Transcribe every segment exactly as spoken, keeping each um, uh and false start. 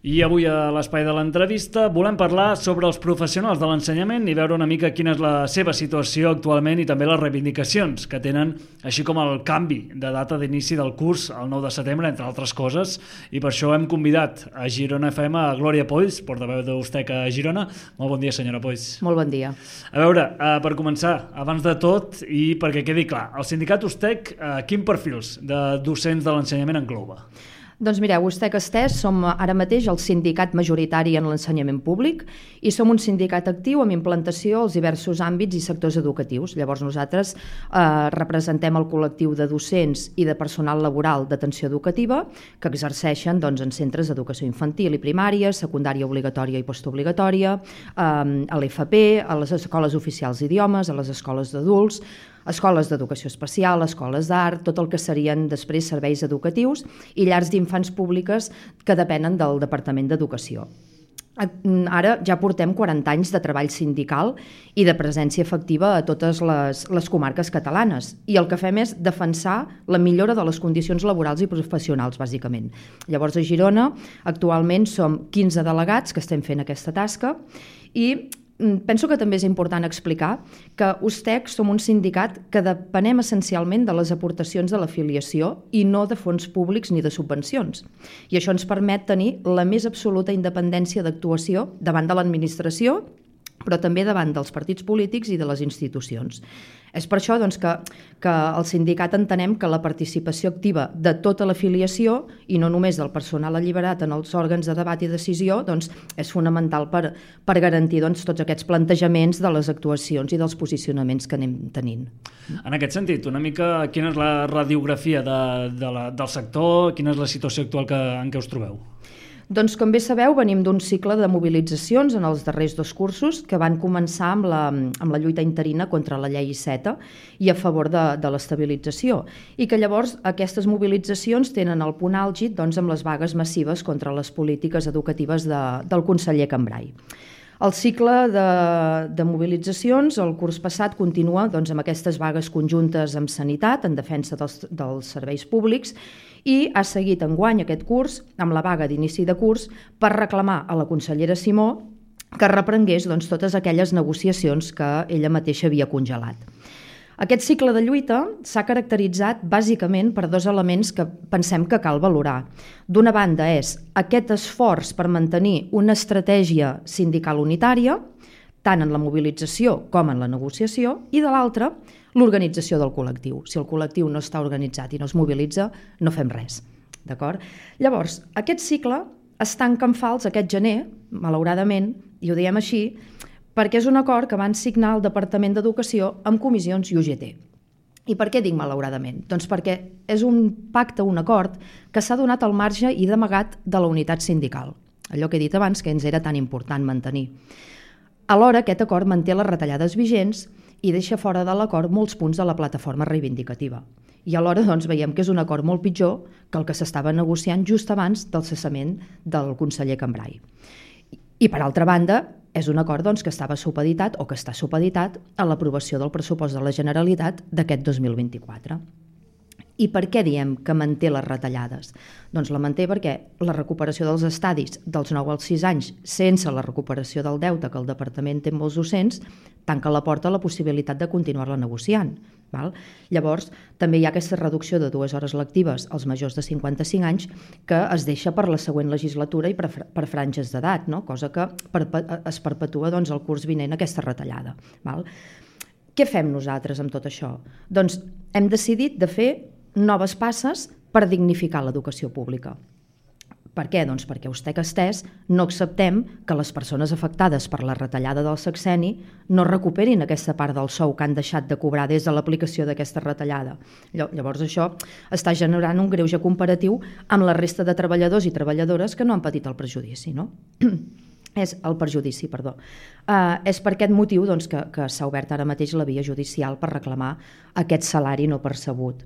I avui a l'espai de l'entrevista volem parlar sobre els professionals de l'ensenyament i veure una mica quina és la seva situació actualment i també les reivindicacions que tenen, així com el canvi de data d'inici del curs el nou de setembre, entre altres coses, i per això hem convidat a Girona F M a Glòria Polls, portaveu d'Ustec a Girona. Molt bon dia, senyora Polls. Molt bon dia. A veure, per començar, abans de tot, i perquè quedi clar, el sindicat Ustec, quin perfils de docents de l'ensenyament engloba? Doncs mireu, Ustec Estès som ara mateix el sindicat majoritari en l'ensenyament públic i som un sindicat actiu amb implantació als diversos àmbits i sectors educatius. Llavors nosaltres eh, representem el col·lectiu de docents i de personal laboral d'atenció educativa que exerceixen doncs, en centres d'educació infantil i primària, secundària obligatòria i postobligatòria, eh, a l'F P, a les escoles oficials d'idiomes, a les escoles d'adults, escoles d'educació especial, escoles d'art, tot el que serien després serveis educatius i llars d'infants públiques que depenen del Departament d'Educació. Ara ja portem quaranta anys de treball sindical i de presència efectiva a totes les, les comarques catalanes i el que fem és defensar la millora de les condicions laborals i professionals, bàsicament. Llavors a Girona actualment som quinze delegats que estem fent aquesta tasca i penso que també és important explicar que Ustec som un sindicat que depenem essencialment de les aportacions de l'afiliació i no de fons públics ni de subvencions. I això ens permet tenir la més absoluta independència d'actuació davant de l'administració, però també davant dels partits polítics i de les institucions. És per això doncs, que, que el sindicat entenem que la participació activa de tota l'afiliació i no només del personal alliberat en els òrgans de debat i decisió doncs, és fonamental per, per garantir doncs, tots aquests plantejaments de les actuacions i dels posicionaments que anem tenint. En aquest sentit, una mica quina és la radiografia de, de la, del sector, quina és la situació actual que, en què us trobeu? Doncs, com bé sabeu, venim d'un cicle de mobilitzacions en els darrers dos cursos que van començar amb la, amb la lluita interina contra la llei Iceta i a favor de, de l'estabilització i que llavors aquestes mobilitzacions tenen el punt àlgid doncs, amb les vagues massives contra les polítiques educatives de, del conseller Cambray. El cicle de, de mobilitzacions, el curs passat, continua doncs, amb aquestes vagues conjuntes amb sanitat, en defensa dels, dels serveis públics, i ha seguit enguany aquest curs amb la vaga d'inici de curs per reclamar a la consellera Simó que reprengués doncs, totes aquelles negociacions que ella mateixa havia congelat. Aquest cicle de lluita s'ha caracteritzat bàsicament per dos elements que pensem que cal valorar. D'una banda és aquest esforç per mantenir una estratègia sindical unitària, tant en la mobilització com en la negociació, i de l'altra, l'organització del col·lectiu. Si el col·lectiu no està organitzat i no es mobilitza, no fem res. D'acord? Llavors, aquest cicle es tanca en fals aquest gener, malauradament, i ho diem així, perquè és un acord que van signar el Departament d'Educació amb comissions i U G T. I per què dic malauradament? Doncs perquè és un pacte, un acord, que s'ha donat al marge i d'amagat de la unitat sindical. Allò que he dit abans que ens era tan important mantenir. Alhora, aquest acord manté les retallades vigents i deixa fora de l'acord molts punts de la plataforma reivindicativa. I alhora doncs, veiem que és un acord molt pitjor que el que s'estava negociant just abans del cessament del conseller Cambray. I per altra banda, és un acord doncs, que estava supeditat o que està supeditat a l'aprovació del pressupost de la Generalitat d'aquest dos mil vint-i-quatre. I per què diem que manté les retallades? Doncs la manté perquè la recuperació dels estadis dels nou als sis anys sense la recuperació del deute que el Departament té amb molts docents tanca la porta a la possibilitat de continuar-la negociant. Val? Llavors, també hi ha aquesta reducció de dues hores lectives als majors de cinquanta-cinc anys que es deixa per la següent legislatura i per, per franges d'edat, no? Cosa que perpe es perpetua doncs, el curs vinent aquesta retallada. Val? Què fem nosaltres amb tot això? Doncs hem decidit de fer noves passes per dignificar l'educació pública. Per què? Doncs perquè a Ustec Estès no acceptem que les persones afectades per la retallada del sexenni no recuperin aquesta part del sou que han deixat de cobrar des de l'aplicació d'aquesta retallada. Llavors això està generant un greuge comparatiu amb la resta de treballadors i treballadores que no han patit el perjudici, no? És el perjudici, perdó. Uh, és per aquest motiu doncs, que, que s'ha obert ara mateix la via judicial per reclamar aquest salari no percebut.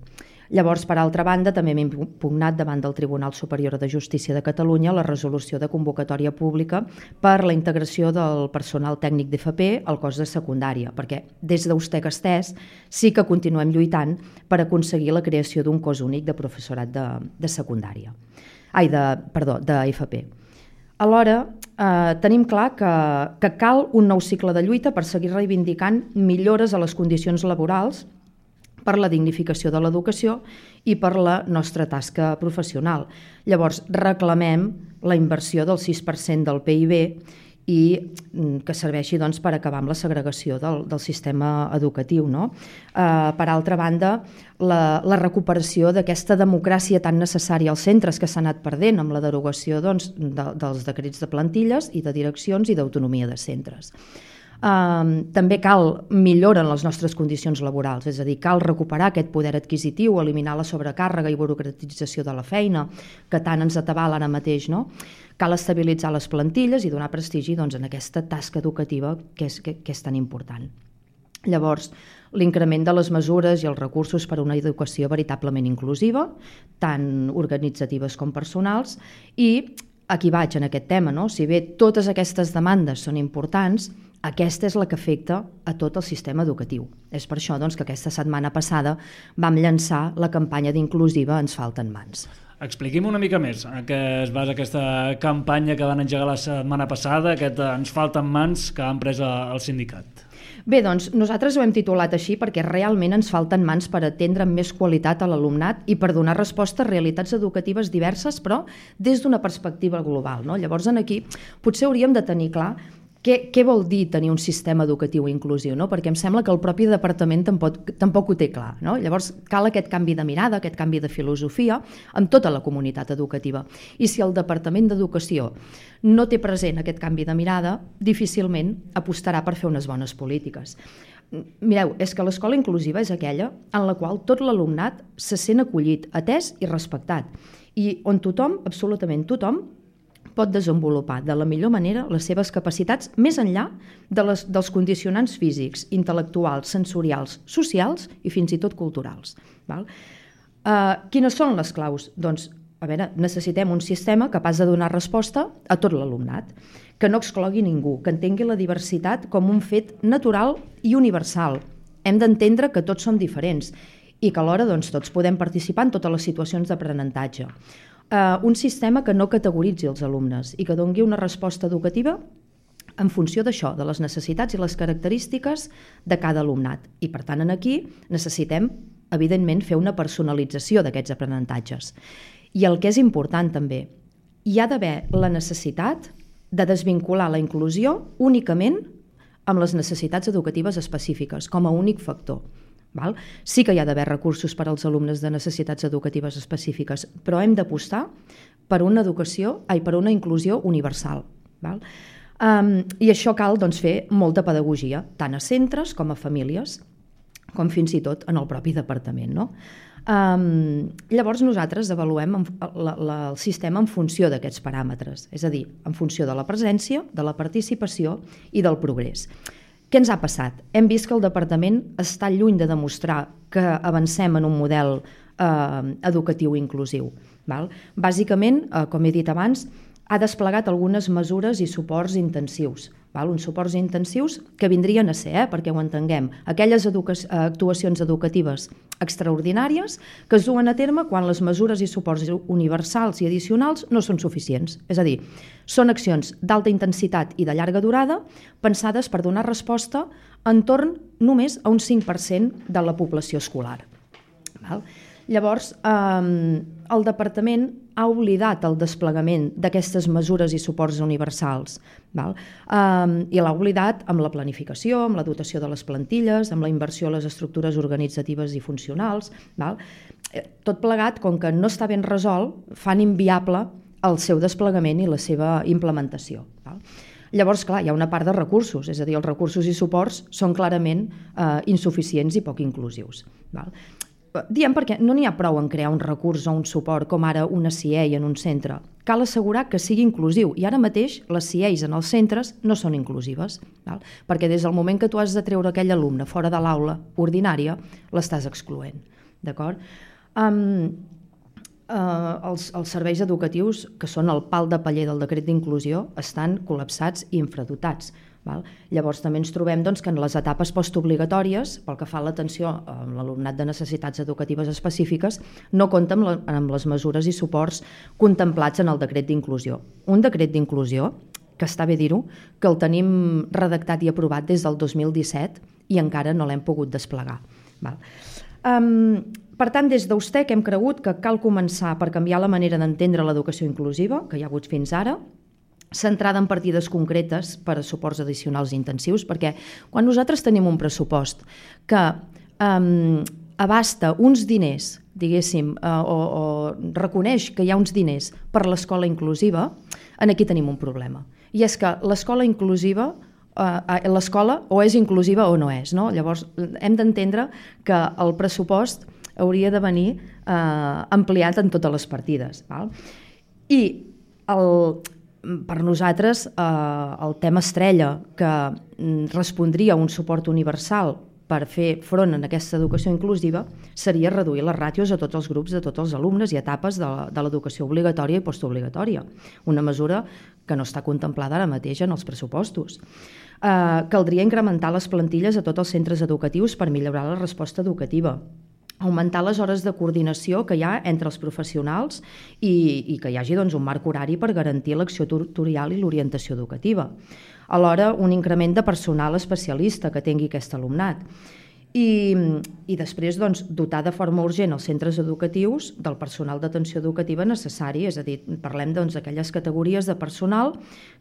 Llavors, per altra banda, també hem impugnat davant del Tribunal Superior de Justícia de Catalunya la resolució de convocatòria pública per la integració del personal tècnic d'F P al cos de secundària, perquè des d'Ustec Estès sí que continuem lluitant per aconseguir la creació d'un cos únic de professorat de, de secundària. Ai, de, perdó, d'F P. Alhora, eh, tenim clar que, que cal un nou cicle de lluita per seguir reivindicant millores a les condicions laborals, per la dignificació de l'educació i per la nostra tasca professional. Llavors, reclamem la inversió del sis per cent del P I B i que serveixi doncs, per acabar amb la segregació del, del sistema educatiu. No? Eh, per altra banda, la, la recuperació d'aquesta democràcia tan necessària als centres que s'ha anat perdent amb la derogació doncs, de, dels decrets de plantilles i de direccions i d'autonomia de centres. Uh, també cal millora en les nostres condicions laborals, és a dir, cal recuperar aquest poder adquisitiu, eliminar la sobrecàrrega i burocratització de la feina, que tant ens atabala ara mateix, no? Cal estabilitzar les plantilles i donar prestigi doncs, en aquesta tasca educativa que és, que, que és tan important. Llavors, l'increment de les mesures i els recursos per a una educació veritablement inclusiva, tant organitzatives com personals, i aquí vaig en aquest tema, no? Si bé totes aquestes demandes són importants, aquesta és la que afecta a tot el sistema educatiu. És per això doncs, que aquesta setmana passada vam llançar la campanya d'Inclusiva Ens falten mans. Expliqui'm una mica més en què es basa aquesta campanya que van engegar la setmana passada, aquest Ens falten mans que han pres el sindicat. Bé, doncs nosaltres ho hem titulat així perquè realment ens falten mans per atendre amb més qualitat a l'alumnat i per donar resposta a realitats educatives diverses, però des d'una perspectiva global. No? Llavors, aquí potser hauríem de tenir clar Què, què vol dir tenir un sistema educatiu inclusiu? No? Perquè em sembla que el propi departament tampoc, tampoc ho té clar. No? Llavors cal aquest canvi de mirada, aquest canvi de filosofia amb tota la comunitat educativa. I si el Departament d'Educació no té present aquest canvi de mirada, difícilment apostarà per fer unes bones polítiques. Mireu, és que l'escola inclusiva és aquella en la qual tot l'alumnat se sent acollit, atès i respectat, i on tothom, absolutament tothom, pot desenvolupar de la millor manera les seves capacitats més enllà de les, dels condicionants físics, intel·lectuals, sensorials, socials i fins i tot culturals. Val? Uh, quines són les claus? Doncs, a veure, necessitem un sistema capaç de donar resposta a tot l'alumnat, que no exclogui ningú, que entengui la diversitat com un fet natural i universal. Hem d'entendre que tots som diferents i que alhora doncs, tots podem participar en totes les situacions d'aprenentatge. Uh, un sistema que no categoritzi els alumnes i que doni una resposta educativa en funció d'això, de les necessitats i les característiques de cada alumnat. I per tant, aquí necessitem, evidentment, fer una personalització d'aquests aprenentatges. I el que és important també, hi ha d'haver la necessitat de desvincular la inclusió únicament amb les necessitats educatives específiques, com a únic factor. Val? Sí que hi ha d'haver recursos per als alumnes de necessitats educatives específiques, però hem d'apostar per una educació, ai, per una inclusió universal. Val? Um, I això cal doncs, fer molta pedagogia, tant a centres com a famílies, com fins i tot en el propi departament. No? Um, llavors nosaltres avaluem la, la, el sistema en funció d'aquests paràmetres, és a dir, en funció de la presència, de la participació i del progrés. Què ens ha passat? Hem vist que el departament està lluny de demostrar que avancem en un model eh, educatiu inclusiu. Val? Bàsicament, eh, com he dit abans, ha desplegat algunes mesures i suports intensius. Val? Uns suports intensius que vindrien a ser, eh, perquè ho entenguem, aquelles educa- actuacions educatives extraordinàries que es duen a terme quan les mesures i suports universals i addicionals no són suficients. És a dir, són accions d'alta intensitat i de llarga durada pensades per donar resposta entorn només a un cinc per cent de la població escolar. Val? Llavors, eh, el departament ha oblidat el desplegament d'aquestes mesures i suports universals. Val? Eh, I l'ha oblidat amb la planificació, amb la dotació de les plantilles, amb la inversió a les estructures organitzatives i funcionals. Val? Tot plegat, com que no està ben resolt, fan inviable el seu desplegament i la seva implementació. Val? Llavors, clar, hi ha una part de recursos, és a dir, els recursos i suports són clarament eh, insuficients i poc inclusius. Val? Diem perquè no n'hi ha prou en crear un recurs o un suport com ara una C I E I en un centre. Cal assegurar que sigui inclusiu i ara mateix les C I E Is en els centres no són inclusives, val? Perquè des del moment que tu has de treure aquell alumne fora de l'aula ordinària l'estàs excloent. D'acord? Um, uh, els, els serveis educatius, que són el pal de paller del decret d'inclusió, estan col·lapsats i infradotats. Val? Llavors també ens trobem doncs, que en les etapes postobligatòries, pel que fa a l'atenció a l'alumnat de necessitats educatives específiques, no compta amb, la, amb les mesures i suports contemplats en el decret d'inclusió. Un decret d'inclusió, que està bé dir-ho, que el tenim redactat i aprovat des del dos mil disset i encara no l'hem pogut desplegar. Val? Um, per tant, des d'Ustec hem cregut que cal començar per canviar la manera d'entendre l'educació inclusiva, que hi ha hagut fins ara, centrada en partides concretes per a suports addicionals intensius, perquè quan nosaltres tenim un pressupost que um, abasta uns diners, diguéssim, uh, o, o reconeix que hi ha uns diners per l'escola inclusiva, aquí tenim un problema. I és que l'escola inclusiva, uh, l'escola o és inclusiva o no és. No? Llavors, hem d'entendre que el pressupost hauria de venir uh, ampliat en totes les partides. Val? I el... per nosaltres, eh, el tema estrella que respondria a un suport universal per fer front a aquesta educació inclusiva seria reduir les ràtios a tots els grups de tots els alumnes i etapes de, de l'educació obligatòria i postobligatòria. Una mesura que no està contemplada ara mateix en els pressupostos. Eh, caldria incrementar les plantilles a tots els centres educatius per millorar la resposta educativa, augmentar les hores de coordinació que hi ha entre els professionals i, i que hi hagi doncs, un marc horari per garantir l'acció tutorial i l'orientació educativa. Alhora, un increment de personal especialista que tingui aquest alumnat. I, i després doncs, dotar de forma urgent els centres educatius del personal d'atenció educativa necessari, és a dir, parlem doncs, d'aquelles categories de personal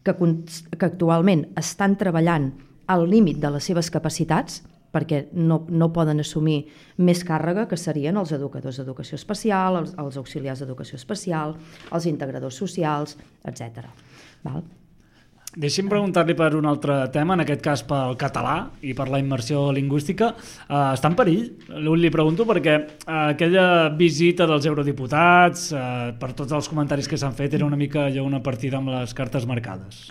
que, que actualment estan treballant al límit de les seves capacitats, perquè no, no poden assumir més càrrega, que serien els educadors d'educació especial, els, els auxiliars d'educació especial, els integradors socials, etcètera. Val? Deixi'm preguntar-li per un altre tema, en aquest cas pel català i per la immersió lingüística. Uh, està en perill? Li pregunto perquè uh, aquella visita dels eurodiputats, uh, per tots els comentaris que s'han fet, era una mica allò, una partida amb les cartes marcades.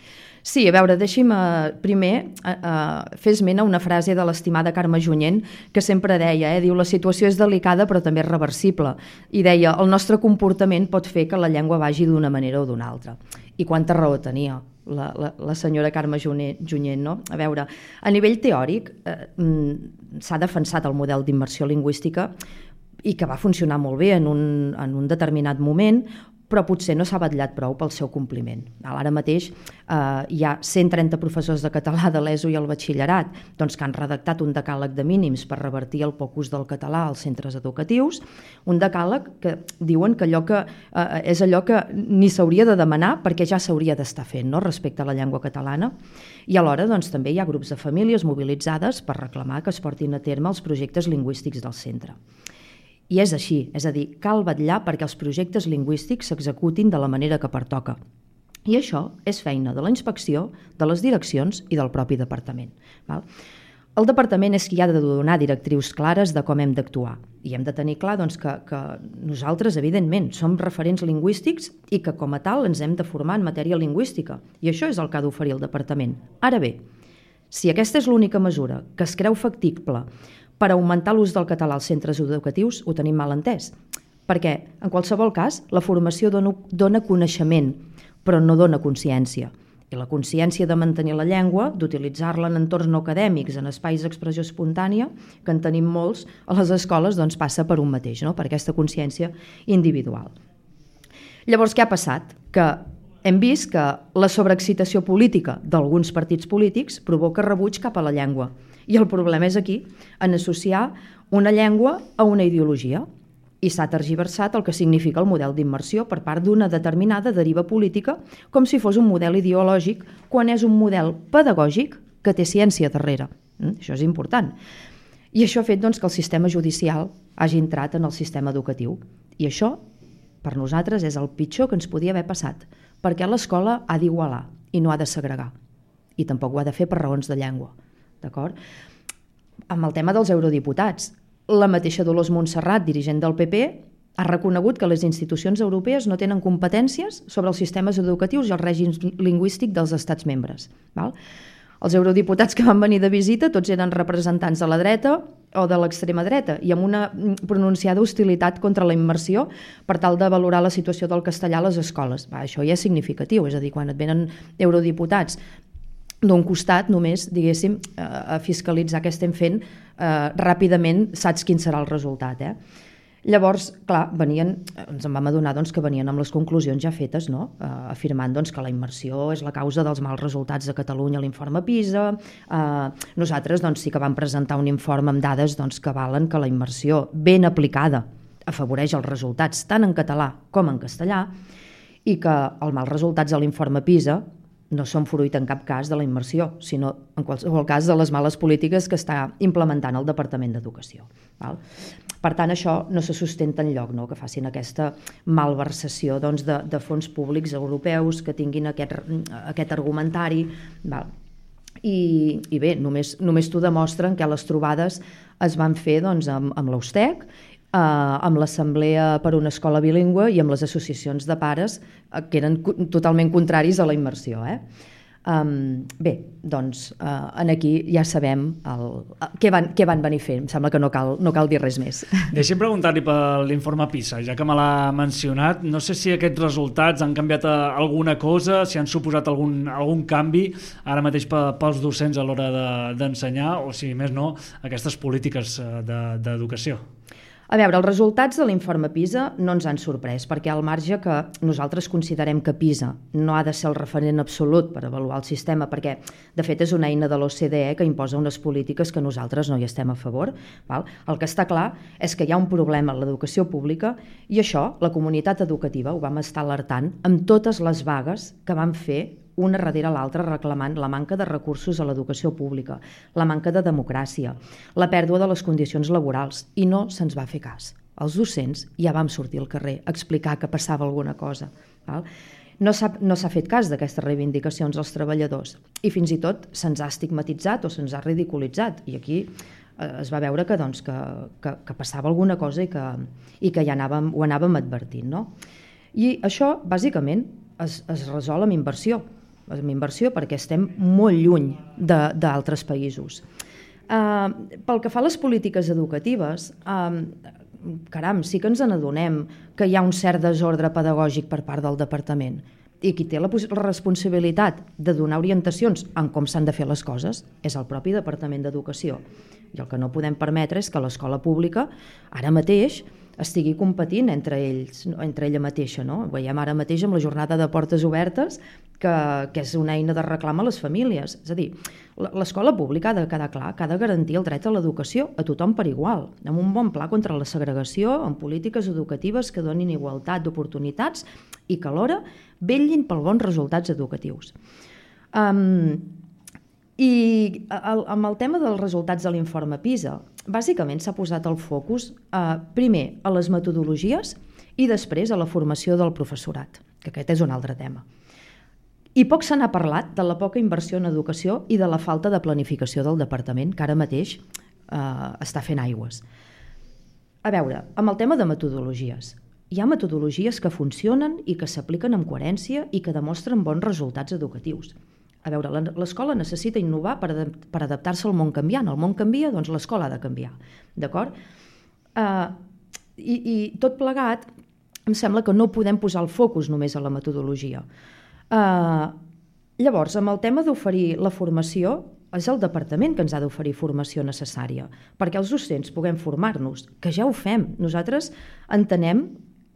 Sí, a veure, deixi'm uh, primer uh, uh, fer esment a una frase de l'estimada Carme Junyent que sempre deia, eh, diu, la situació és delicada però també és reversible. I deia, el nostre comportament pot fer que la llengua vagi d'una manera o d'una altra. I quanta raó tenia la, la, la senyora Carme Junyent, no? A veure, a nivell teòric eh, s'ha defensat el model d'immersió lingüística i que va funcionar molt bé en un, en un determinat moment, però potser no s'ha vetllat prou pel seu compliment. Ara mateix eh, hi ha cent trenta professors de català de l'ESO i el batxillerat doncs, que han redactat un decàleg de mínims per revertir el poc ús del català als centres educatius, un decàleg que diuen que allò que eh, és allò que ni s'hauria de demanar perquè ja s'hauria d'estar fent, no?, respecte a la llengua catalana. I alhora doncs, també hi ha grups de famílies mobilitzades per reclamar que es portin a terme els projectes lingüístics del centre. I és així, és a dir, cal vetllar perquè els projectes lingüístics s'executin de la manera que pertoca. I això és feina de la inspecció, de les direccions i del propi departament. Val? El departament és qui ha de donar directrius clares de com hem d'actuar. I hem de tenir clar doncs, que, que nosaltres, evidentment, som referents lingüístics i que, com a tal, ens hem de formar en matèria lingüística. I això és el que ha d'oferir el departament. Ara bé, si aquesta és l'única mesura que es creu factible per augmentar l'ús del català als centres educatius, ho tenim mal entès. Perquè, en qualsevol cas, la formació dona, dona coneixement, però no dona consciència. I la consciència de mantenir la llengua, d'utilitzar-la en entorns no acadèmics, en espais d'expressió espontània, que en tenim molts a les escoles, doncs passa per un mateix, no?, per aquesta consciència individual. Llavors, què ha passat? Que hem vist que la sobreexcitació política d'alguns partits polítics provoca rebuig cap a la llengua. I el problema és aquí, en associar una llengua a una ideologia. I s'ha tergiversat el que significa el model d'immersió per part d'una determinada deriva política, com si fos un model ideològic, quan és un model pedagògic que té ciència darrere. Això és important. I això ha fet doncs, que el sistema judicial hagi entrat en el sistema educatiu. I això, per nosaltres, és el pitjor que ens podia haver passat, perquè l'escola ha d'igualar i no ha de segregar. I tampoc ho ha de fer per raons de llengua. D'acord? Amb el tema dels eurodiputats, la mateixa Dolors Montserrat, dirigent del P P, ha reconegut que les institucions europees no tenen competències sobre els sistemes educatius i el règim lingüístic dels estats membres. Val? Els eurodiputats que van venir de visita tots eren representants de la dreta o de l'extrema dreta i amb una pronunciada hostilitat contra la immersió per tal de valorar la situació del castellà a les escoles. Va, això ja és significatiu, és a dir, quan et venen eurodiputats d'un costat només, diguéssim, a fiscalitzar què estem fent, eh, ràpidament saps quin serà el resultat. Eh? Llavors, clar, venien, ens en vam adonar doncs, que venien amb les conclusions ja fetes, no? eh, afirmant doncs, que la immersió és la causa dels mals resultats de Catalunya a l'informe PISA. Eh, nosaltres doncs, sí que vam presentar un informe amb dades doncs, que valen que la immersió ben aplicada afavoreix els resultats tant en català com en castellà i que els mals resultats a l'informe PISA no són fruit en cap cas de la immersió, sinó en qualsevol cas de les males polítiques que està implementant el Departament d'Educació. Val? Per tant, això no se sustenta enlloc, no? Que facin aquesta malversació doncs, de, de fons públics europeus, que tinguin aquest, aquest argumentari. Val? I, i bé, només, només t'ho demostren que les trobades es van fer doncs, amb, amb l'Eustec, eh, amb l'Assemblea per una Escola Bilingüe i amb les associacions de pares eh, que eren totalment contraris a la immersió. Eh? Um, bé, doncs uh, en aquí ja sabem el, uh, què, van, què van venir fent. Em sembla que no cal, no cal dir res més. Deixi'm preguntar-li per l'informe PISA, ja que me l'ha mencionat. No sé si aquests resultats han canviat alguna cosa, si han suposat algun, algun canvi ara mateix pels docents a l'hora d'ensenyar, o si més no, aquestes polítiques d'educació. A veure, els resultats de l'informe PISA no ens han sorprès, perquè al marge que nosaltres considerem que PISA no ha de ser el referent absolut per avaluar el sistema, perquè de fet és una eina de l'O C D E que imposa unes polítiques que nosaltres no hi estem a favor. Val? El que està clar és que hi ha un problema en l'educació pública i això la comunitat educativa ho vam estar alertant amb totes les vagues que vam fer una darrere l'altra reclamant la manca de recursos a l'educació pública, la manca de democràcia, la pèrdua de les condicions laborals, i no se'ns va fer cas. Els docents ja vam sortir al carrer a explicar que passava alguna cosa. Val? No s'ha no s'ha fet cas d'aquestes reivindicacions als treballadors i fins i tot se'ns ha estigmatitzat o se'ns ha ridiculitzat, i aquí eh, es va veure que, doncs, que, que, que passava alguna cosa i que, i que ja anàvem, ho anàvem advertint. No? I això, bàsicament, es, es resol amb inversió. amb inversió perquè estem molt lluny d'altres països. Uh, pel que fa a les polítiques educatives, uh, caram, sí que ens n'adonem que hi ha un cert desordre pedagògic per part del departament i qui té la, la responsabilitat de donar orientacions en com s'han de fer les coses és el propi Departament d'Educació. I el que no podem permetre és que l'escola pública ara mateix estigui competint entre ells, entre ella mateixa. No? Ho veiem ara mateix amb la jornada de portes obertes, que, que és una eina de reclam a les famílies. És a dir, l'escola pública ha de quedar clar que ha de garantir el dret a l'educació a tothom per igual, amb un bon pla contra la segregació, amb polítiques educatives que donin igualtat d'oportunitats i que alhora vetllin pels bons resultats educatius. Um, I el, amb el tema dels resultats de l'informe PISA, bàsicament s'ha posat el focus eh, primer a les metodologies i després a la formació del professorat, que aquest és un altre tema. I poc se n'ha parlat de la poca inversió en educació i de la falta de planificació del departament, que ara mateix eh, està fent aigües. A veure, amb el tema de metodologies, hi ha metodologies que funcionen i que s'apliquen amb coherència i que demostren bons resultats educatius. A veure, l'escola necessita innovar per, adap per adaptar-se al món canviant. El món canvia, doncs l'escola ha de canviar. D'acord? Uh, i, I tot plegat, em sembla que no podem posar el focus només a la metodologia. Uh, llavors, amb el tema d'oferir la formació, és el departament que ens ha d'oferir formació necessària, perquè els docents puguem formar-nos, que ja ho fem. Nosaltres entenem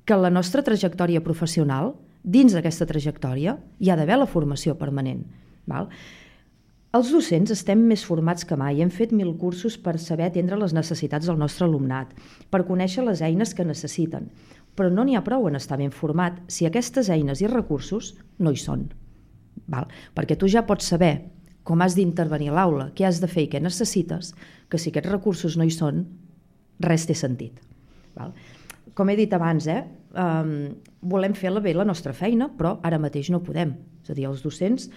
que la nostra trajectòria professional, dins d'aquesta trajectòria, hi ha d'haver la formació permanent. Val? Els docents estem més formats que mai, hem fet mil cursos per saber atendre les necessitats del nostre alumnat, per conèixer les eines que necessiten, però no n'hi ha prou en estar ben format si aquestes eines i recursos no hi són. Val? Perquè tu ja pots saber com has d'intervenir a l'aula, què has de fer i què necessites, que si aquests recursos no hi són, res té sentit. Val? Com he dit abans, eh, um, volem fer-la bé la nostra feina, però ara mateix no podem. És a dir, els docents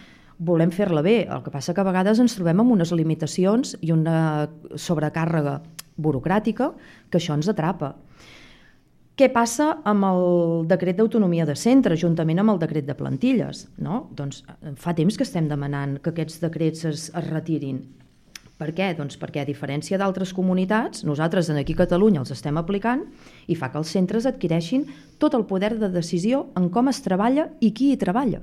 volem fer-la bé, el que passa que a vegades ens trobem amb unes limitacions i una sobrecàrrega burocràtica que això ens atrapa. Què passa amb el decret d'autonomia de centre, juntament amb el decret de plantilles? No? Doncs fa temps que estem demanant que aquests decrets es, es retirin. Per què? Doncs perquè, a diferència d'altres comunitats, nosaltres aquí a Catalunya els estem aplicant i fa que els centres adquireixin tot el poder de decisió en com es treballa i qui hi treballa.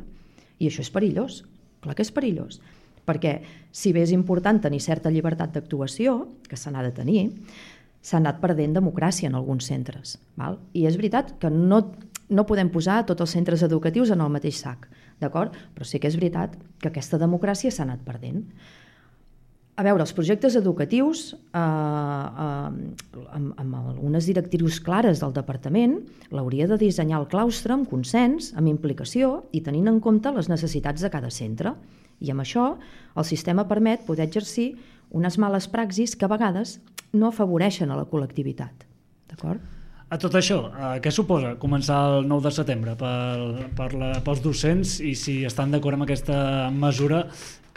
I això és perillós, clar que és perillós. perquè si bé és important tenir certa llibertat d'actuació, que se n'ha de tenir, s'ha anat perdent democràcia en alguns centres. Val? I és veritat que no, no podem posar tots els centres educatius en el mateix sac, d'acord? Però sí que és veritat que aquesta democràcia s'ha anat perdent. A veure, els projectes educatius, eh, eh, amb, amb algunes directrius clares del departament, l'hauria de dissenyar el claustre amb consens, amb implicació i tenint en compte les necessitats de cada centre. I amb això el sistema permet poder exercir unes males praxis que a vegades no afavoreixen a la col·lectivitat. D'acord? A tot això, eh, què suposa començar el nou de setembre per, per la, pels docents i si estan d'acord amb aquesta mesura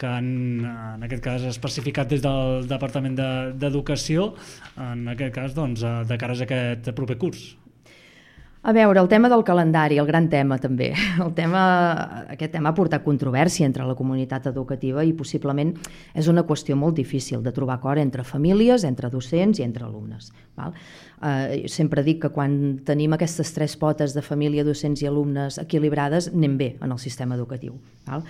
que en, en aquest cas especificat des del Departament d'Educació, en aquest cas doncs, de cara a aquest proper curs? A veure, el tema del calendari, el gran tema també. El tema, aquest tema ha portat controvèrsia entre la comunitat educativa i possiblement és una qüestió molt difícil de trobar acord entre famílies, entre docents i entre alumnes. Val? Eh, sempre dic que quan tenim aquestes tres potes de família, docents i alumnes equilibrades, anem bé en el sistema educatiu. Val?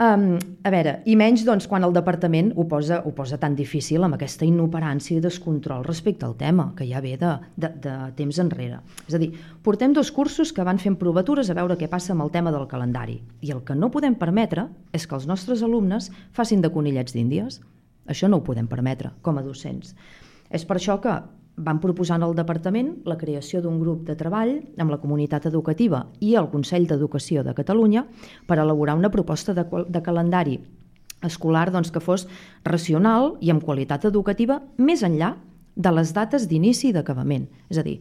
Um, a veure, i menys doncs, quan el departament ho posa, ho posa tan difícil amb aquesta inoperància i descontrol respecte al tema, que ja ve de, de, de temps enrere. És a dir, portem dos cursos que van fent provatures a veure què passa amb el tema del calendari. I el que no podem permetre és que els nostres alumnes facin de conillets d'índies. Això no ho podem permetre com a docents. És per això que van proposar al departament la creació d'un grup de treball amb la comunitat educativa i el Consell d'Educació de Catalunya per elaborar una proposta de, de calendari escolar doncs, que fos racional i amb qualitat educativa més enllà de les dates d'inici i d'acabament. És a dir,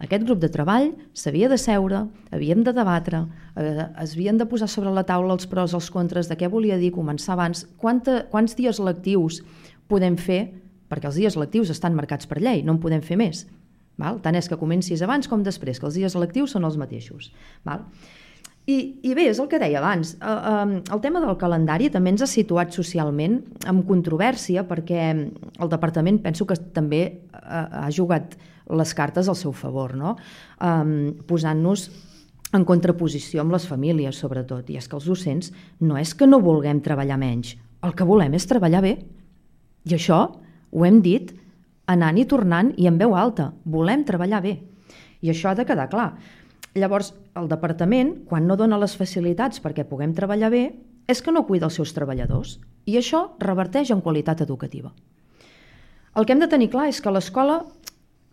aquest grup de treball s'havia de seure, havíem de debatre, eh, es havien de posar sobre la taula els pros, els contres, de què volia dir començar abans, quanta, quants dies lectius podem fer, perquè els dies lectius estan marcats per llei, no en podem fer més. Val? Tant és que comencis abans com després, que els dies lectius són els mateixos. Val? I, I bé, és el que deia abans, el tema del calendari també ens ha situat socialment amb controvèrsia perquè el departament penso que també ha jugat les cartes al seu favor, no? Posant-nos en contraposició amb les famílies, sobretot. I és que els docents no és que no vulguem treballar menys, el que volem és treballar bé. I això ho hem dit anant i tornant i en veu alta. Volem treballar bé. I això ha de quedar clar. Llavors, el departament, quan no dona les facilitats perquè puguem treballar bé, és que no cuida els seus treballadors. I això reverteix en qualitat educativa. El que hem de tenir clar és que l'escola,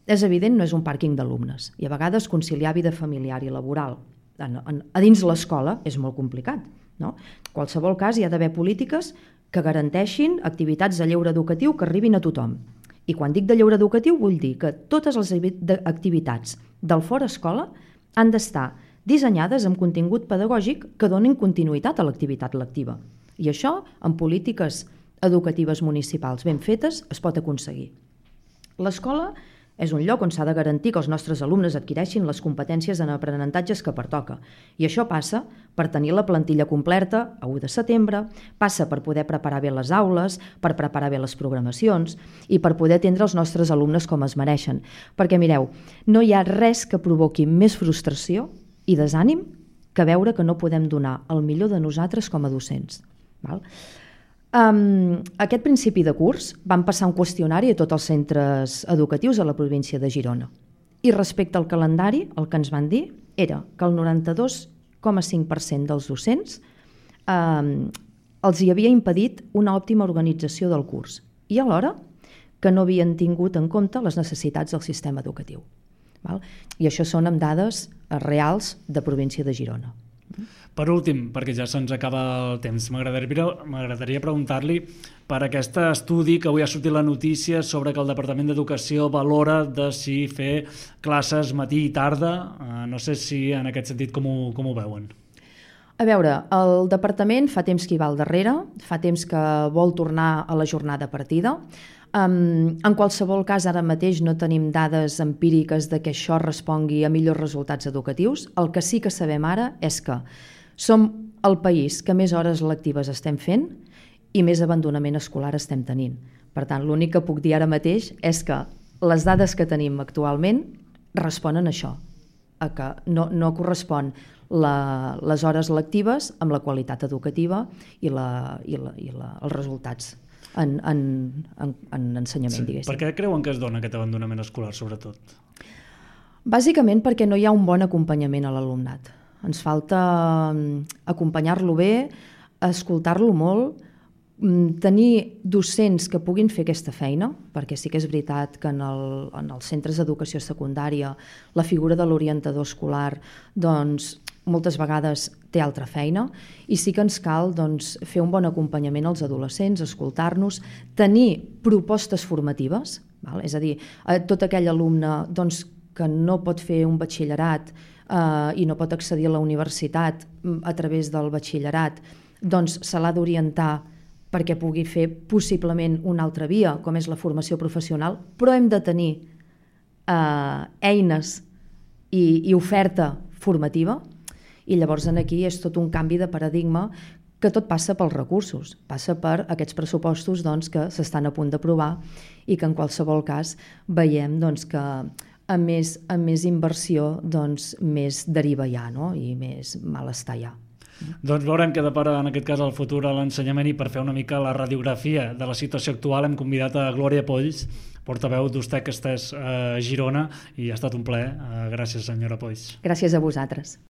és evident, no és un pàrquing d'alumnes. I a vegades conciliar vida familiar i laboral a dins l'escola és molt complicat. No? En qualsevol cas, hi ha d'haver polítiques que garanteixin activitats de lleure educatiu que arribin a tothom. I quan dic de lleure educatiu vull dir que totes les activitats del fora escola han d'estar dissenyades amb contingut pedagògic que donin continuïtat a l'activitat lectiva. I això, amb polítiques educatives municipals ben fetes, es pot aconseguir. L'escola és un lloc on s'ha de garantir que els nostres alumnes adquireixin les competències en aprenentatges que pertoca. I això passa per tenir la plantilla completa a u de setembre, passa per poder preparar bé les aules, per preparar bé les programacions i per poder atendre els nostres alumnes com es mereixen. Perquè, mireu, no hi ha res que provoqui més frustració i desànim que veure que no podem donar el millor de nosaltres com a docents. Val? Um, aquest principi de curs van passar un qüestionari a tots els centres educatius a la província de Girona. I respecte al calendari, el que ens van dir era que el noranta-dos coma cinc per cent dels docents um, els hi havia impedit una òptima organització del curs i alhora que no havien tingut en compte les necessitats del sistema educatiu. Val? I això són amb dades reals de província de Girona. Per últim, perquè ja se'ns acaba el temps, m'agradaria, m'agradaria preguntar-li per aquest estudi que avui ha sortit la notícia sobre que el Departament d'Educació valora de si fer classes matí i tarda. No sé si en aquest sentit com ho, com ho veuen. A veure, el departament fa temps que hi va al darrere, fa temps que vol tornar a la jornada partida. Um, en qualsevol cas, ara mateix no tenim dades empíriques de que això respongui a millors resultats educatius. El que sí que sabem ara és que som el país que més hores lectives estem fent i més abandonament escolar estem tenint. Per tant, l'únic que puc dir ara mateix és que les dades que tenim actualment responen a això, a que no, no correspon la, les hores lectives amb la qualitat educativa i, la, i, la, i la, els resultats en, en, en, en ensenyament, sí. diguéssim. Per què creuen que es dona aquest abandonament escolar, sobretot? Bàsicament perquè no hi ha un bon acompanyament a l'alumnat. Ens falta acompanyar-lo bé, escoltar-lo molt, tenir docents que puguin fer aquesta feina, perquè sí que és veritat que en, el, en els centres d'educació secundària la figura de l'orientador escolar doncs, moltes vegades té altra feina i sí que ens cal doncs, fer un bon acompanyament als adolescents, escoltar-nos, tenir propostes formatives, val? És a dir, tot aquell alumne doncs, que no pot fer un batxillerat eh, i no pot accedir a la universitat a través del batxillerat, doncs se l'ha d'orientar perquè pugui fer possiblement una altra via, com és la formació professional, però hem de tenir eh, eines i, i oferta formativa, i llavors aquí és tot un canvi de paradigma que tot passa pels recursos, passa per aquests pressupostos doncs, que s'estan a punt d'aprovar i que en qualsevol cas veiem doncs, que amb més, amb més inversió doncs, més deriva ja, no? I més malestar ja. Doncs veurem què depara en aquest cas el futur a l'ensenyament, i per fer una mica la radiografia de la situació actual hem convidat a Glòria Polls, portaveu d'Ustec Estès a Girona, i ha estat un plaer. Gràcies, senyora Polls. Gràcies a vosaltres.